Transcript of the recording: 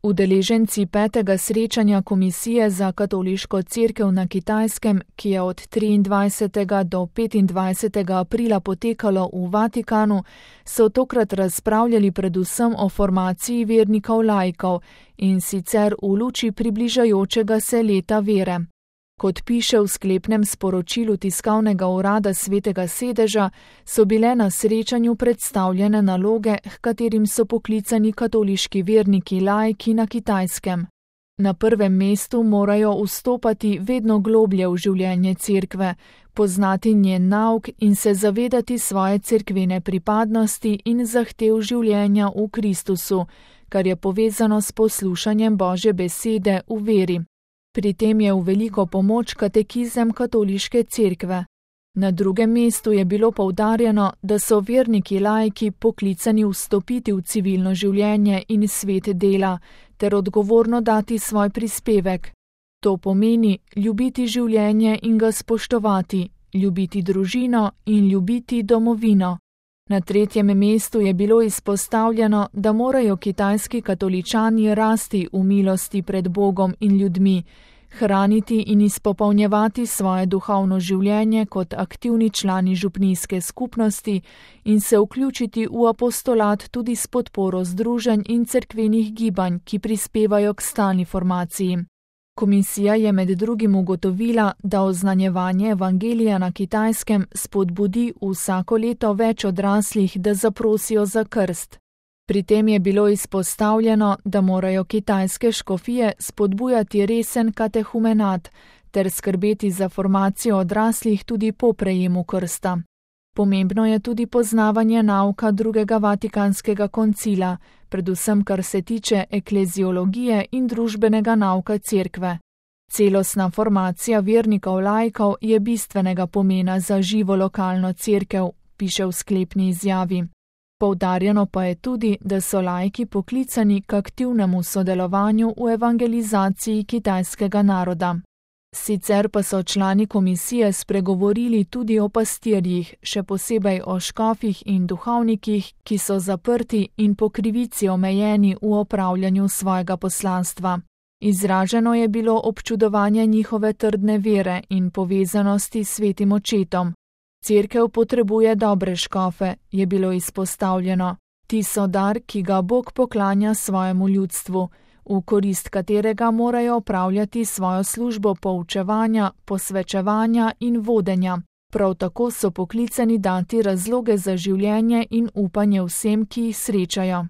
Udeleženci 5. srečanja Komisije za katoliško cerkev na Kitajskem, ki je od 23. do 25. aprila potekalo v Vatikanu, so tokrat razpravljali predvsem o formaciji vernikov laikov, in sicer v luči približajočega se leta vere. Kot piše v sklepnem sporočilu tiskovnega urada Svetega sedeža, so bile na srečanju predstavljene naloge, h katerim so poklicani katoliški verniki laiki na Kitajskem. Na prvem mestu morajo vstopati vedno globlje v življenje cerkve, poznati njen nauk in se zavedati svoje cerkvene pripadnosti in zahtev življenja v Kristusu, kar je povezano s poslušanjem Božje besede v veri. Pri tem je v veliko pomoč katekizem katoliške cerkve. Na drugem mestu je bilo poudarjeno, da so verniki laiki poklicani vstopiti v civilno življenje in svet dela, ter odgovorno dati svoj prispevek. To pomeni ljubiti življenje in ga spoštovati, ljubiti družino in ljubiti domovino. Na tretjem mestu je bilo izpostavljeno, da morajo kitajski katoličani rasti v milosti pred Bogom in ljudmi, hraniti in izpopolnjevati svoje duhovno življenje kot aktivni člani župnijske skupnosti in se vključiti v apostolat tudi s podporo združenj in cerkvenih gibanj, ki prispevajo k stalni formaciji. Komisija je med drugim ugotovila, da oznanjevanje evangelija na Kitajskem spodbudi vsako leto več odraslih, da zaprosijo za krst. Pri tem je bilo izpostavljeno, da morajo kitajske škofije spodbujati resen katehumenat ter skrbeti za formacijo odraslih tudi po prejemu krsta. Pomembno je tudi poznavanje nauka drugega vatikanskega koncila, predvsem kar se tiče ekleziologije in družbenega nauka cerkve. Celostna formacija vernikov laikov je bistvenega pomena za živo lokalno cerkev, piše v sklepni izjavi. Poudarjeno pa je tudi, da so laiki poklicani k aktivnemu sodelovanju v evangelizaciji kitajskega naroda. Sicer pa so člani komisije spregovorili tudi o pastirjih, še posebej o škofih in duhovnikih, ki so zaprti in po krivici omejeni v opravljanju svojega poslanstva. Izraženo je bilo občudovanje njihove trdne vere in povezanosti s svetim očetom. Cerkev potrebuje dobre škofe, je bilo izpostavljeno. Ti so dar, ki ga Bog poklanja svojemu ljudstvu, v korist katerega morajo opravljati svojo službo poučevanja, posvečevanja in vodenja. Prav tako so poklicani dati razloge za življenje in upanje vsem, ki jih srečajo.